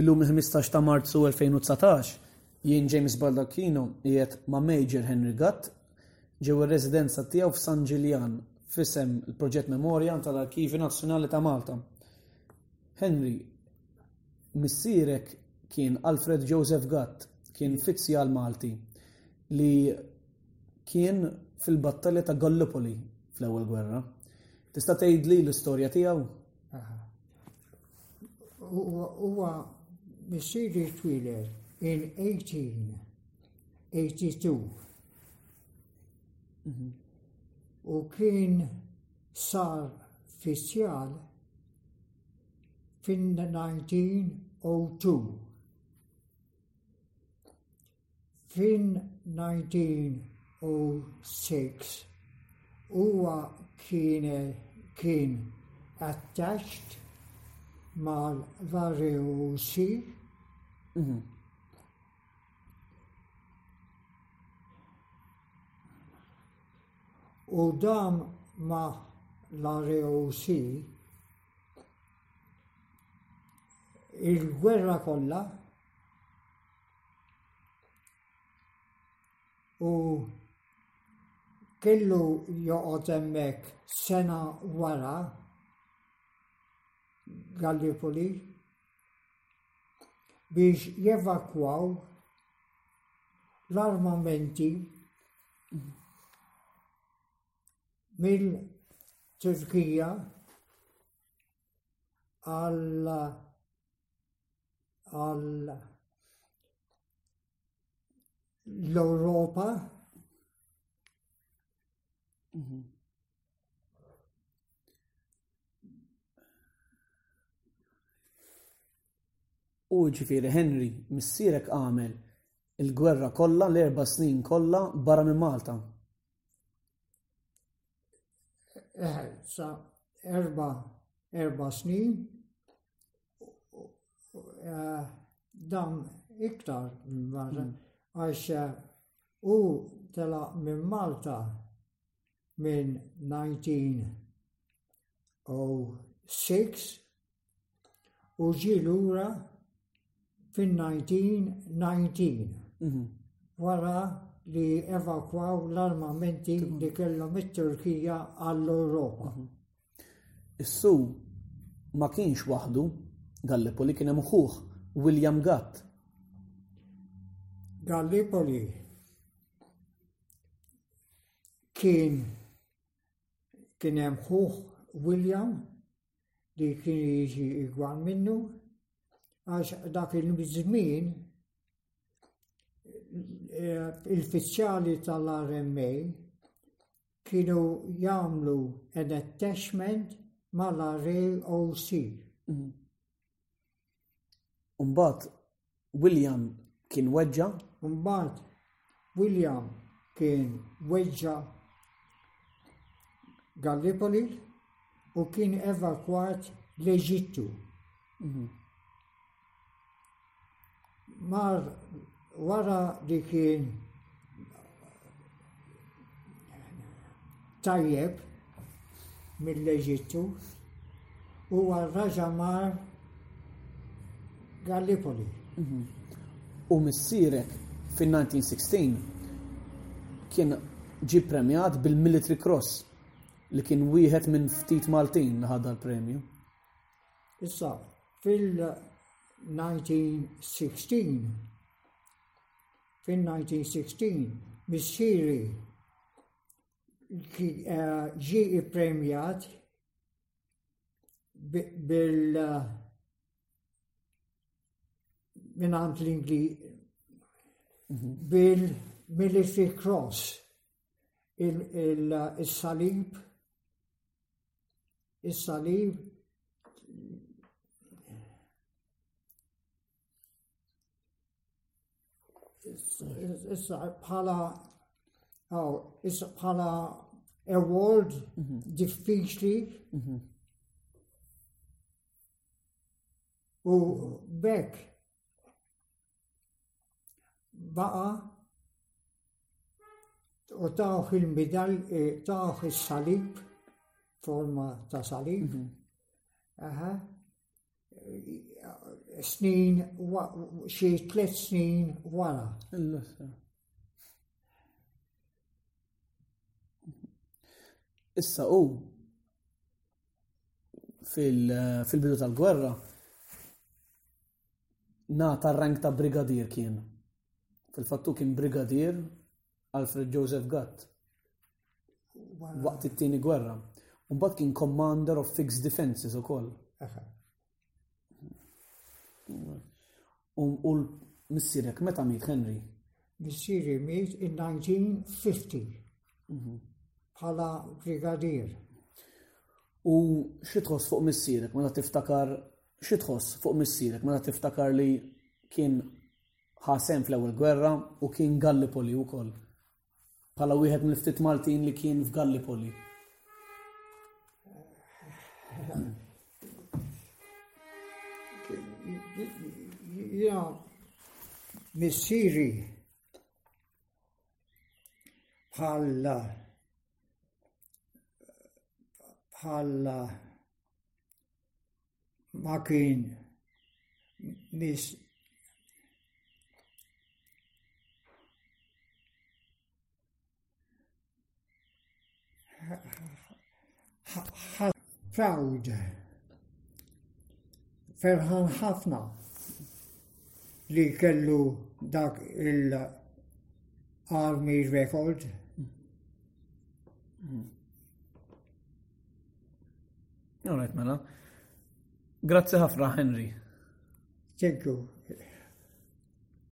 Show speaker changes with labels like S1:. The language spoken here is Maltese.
S1: Illum il-15 ta' Marzu 2019, jien James Baldacchino qiegħed ma' Major Henry Gatt ġewwa r-residenza tiegħu f'San Ġiljan f'isem il-Proġett Memorja tal-Arkivju Nazzjonali ta' Malta. Henry, missierek kien Alfred Joseph Gatt, kien fizzjal Malti li kien fil-battalja ta' Gallipoli fl-Ewwel Gwerra. Tista' tgħidli l-istorja tiegħu?
S2: Huwa missieri twieled in 1882 u kien sar fizzjal fin-1902. Fin-1906 huwa kien kien attached mal-ROC. U dam ma' l-ROC il-gwerra kollha U kellu joqgħod hemmhekk sena wara Gallipoli biex jevakwaw l-armamenti mill-Turkija għal għal l-Ewropa.
S1: Mhm. U ġifieri Henry, missierek għamel il-gwerra kollha l-erba' snin kollha barra minn Malta.
S2: Eh, sa erba erba snin eh, dan iktar minn Malta hmm. għax eh, u tela minn Malta minn 1906 u ġie lura fin-1919 mhm. wara li evakwaw l-armamenti li kellhom it-Turkija għall-Ewropa.
S1: Mhm. Issu ma kienx waħdu Gallipoli kien hemm ħuh William Gatt.
S2: Gallipoli kien kien hemm ħuh William li kien jiġi igwal minnu għax dak il-żmien eh, il-fiċċali tal-RMA kienu jagħmlu an attachment mal-RAOC.
S1: Mhm. Umbagħad William kien weġġa'.
S2: Umbagħad William kien weġġa' Gallipoli u kien evakwat l-Eġittu.
S1: Mhm.
S2: Mar wara li kien tajjeb mill-Eġittu huwa raġa' mar Gallipoli.
S1: Mhm. U missierek fin-1916 kien ġie premjat bil-Military Cross li kien wieħed minn ftit Maltin li ħadha l-premju.
S2: Issa, fil-1916, fil-1916, missieri eh, ġie ippremjat bil minn l-Ingli mhm. bil-Military Cross il-salib is-salib issa bħala oh, issa bħala award mhm. diffiċli
S1: mhm.
S2: u bekk baqa u tawh il-midal, eh, tawh il-salib, forma ta' salib.
S1: Mhm.
S2: Aha. Snin, xi tlet snin wara.
S1: Issa u fil-bidu tal-gwerra nata rank ta' brigadier kien. Fil-fattu kien brigadier Alfred Joseph Gatt waqt it-tieni gwerra. U mbagħad kien Commander of Fixed Defences ukoll. U l-missierek meta miet Henry?
S2: Missieri miet in 1950 mhm. bħala brigadier.
S1: U xi tħoss fuq missierek meta tiftakar xi tħoss fuq missierek meta tiftakar li kien ħa sehem fl-ewwel gwerra u kien Gallipoli wkoll. Bħala wieħed mill-ftit Maltin li kien f'Gallipoli.
S2: Ja, missieri bħal bħal ma kien mis proud ferħan ħafna li kellu dak il-army record.
S1: Mm. All right, mela. Grazzi ħafna, Henry.
S2: Thank you.